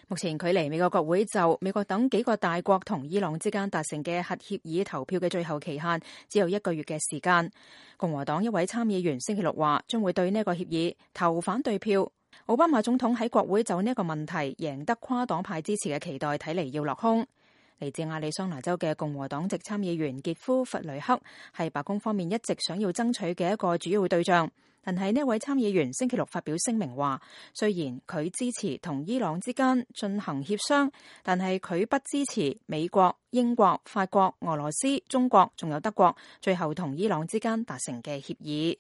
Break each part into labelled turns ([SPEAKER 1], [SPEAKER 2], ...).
[SPEAKER 1] 目前距離美國國會就美國等幾個大國同伊朗之間達成嘅核協議投票嘅最後期限只有1個月嘅時間。共和黨一位參議員星期六話將會對呢個協議投反對票。奧巴馬總統喺國會就呢個問題贏得跨黨派支持嘅期待睇嚟要落空。嚟自亞利桑那州嘅共和黨籍參議員傑夫·弗雷克係白宮方面一直想要爭取嘅一個主要對象。但係呢位參議員星期六發表聲明話，雖然佢支持同伊朗之間進行協商，但係佢不支持美國、英國、法國、俄羅斯、中國仲有德國最後同伊朗之間達成嘅協議。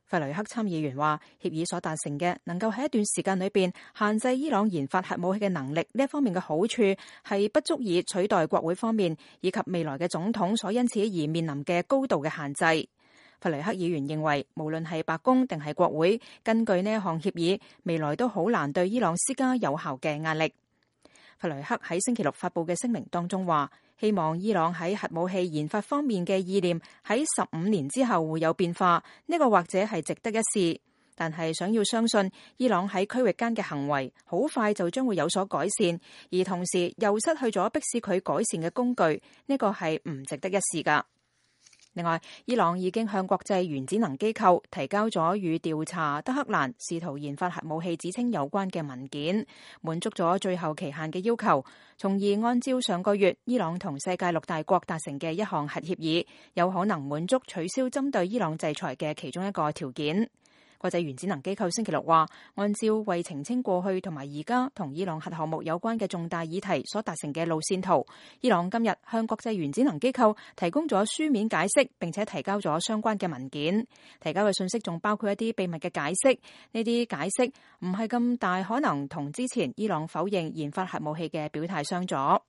[SPEAKER 1] 弗雷克參議員話，協議所達成嘅能夠喺一段時間裏邊限制伊朗研發核武器嘅能力，呢一方面嘅好處係不足以取代國會方面以及未來嘅總統所因此而面臨嘅高度嘅限制。弗雷克議員認為，無論係白宮定係國會，根據呢一項協議，未來都好難對伊朗施加有效嘅壓力。弗雷克喺星期六發佈嘅聲明當中話，希望伊朗喺核武器研發方面嘅意念喺15年之後會有變化，呢個或者係值得一試。但係想要相信伊朗喺區域間嘅行為好快就將會有所改善，而同時又失去咗迫使佢改善嘅工具，呢個係唔值得一試㗎。另外，伊朗已經向國際原子能機構提交咗與調查德黑蘭試圖研發核武器指稱有關嘅文件，滿足咗最後期限嘅要求，從而按照上個月伊朗同世界6大國達成嘅一項核協議，有可能滿足取消針對伊朗制裁嘅其中一個條件。國際原子能機構星期六話，按照為澄清過去同埋而家同伊朗核項目有關嘅重大議題所達成嘅路線圖，伊朗今日向國際原子能機構提供咗書面解釋，並且提交咗相關嘅文件。提交嘅信息仲包括一啲秘密嘅解釋，呢啲解釋唔係咁大可能同之前伊朗否認研發核武器嘅表態相左。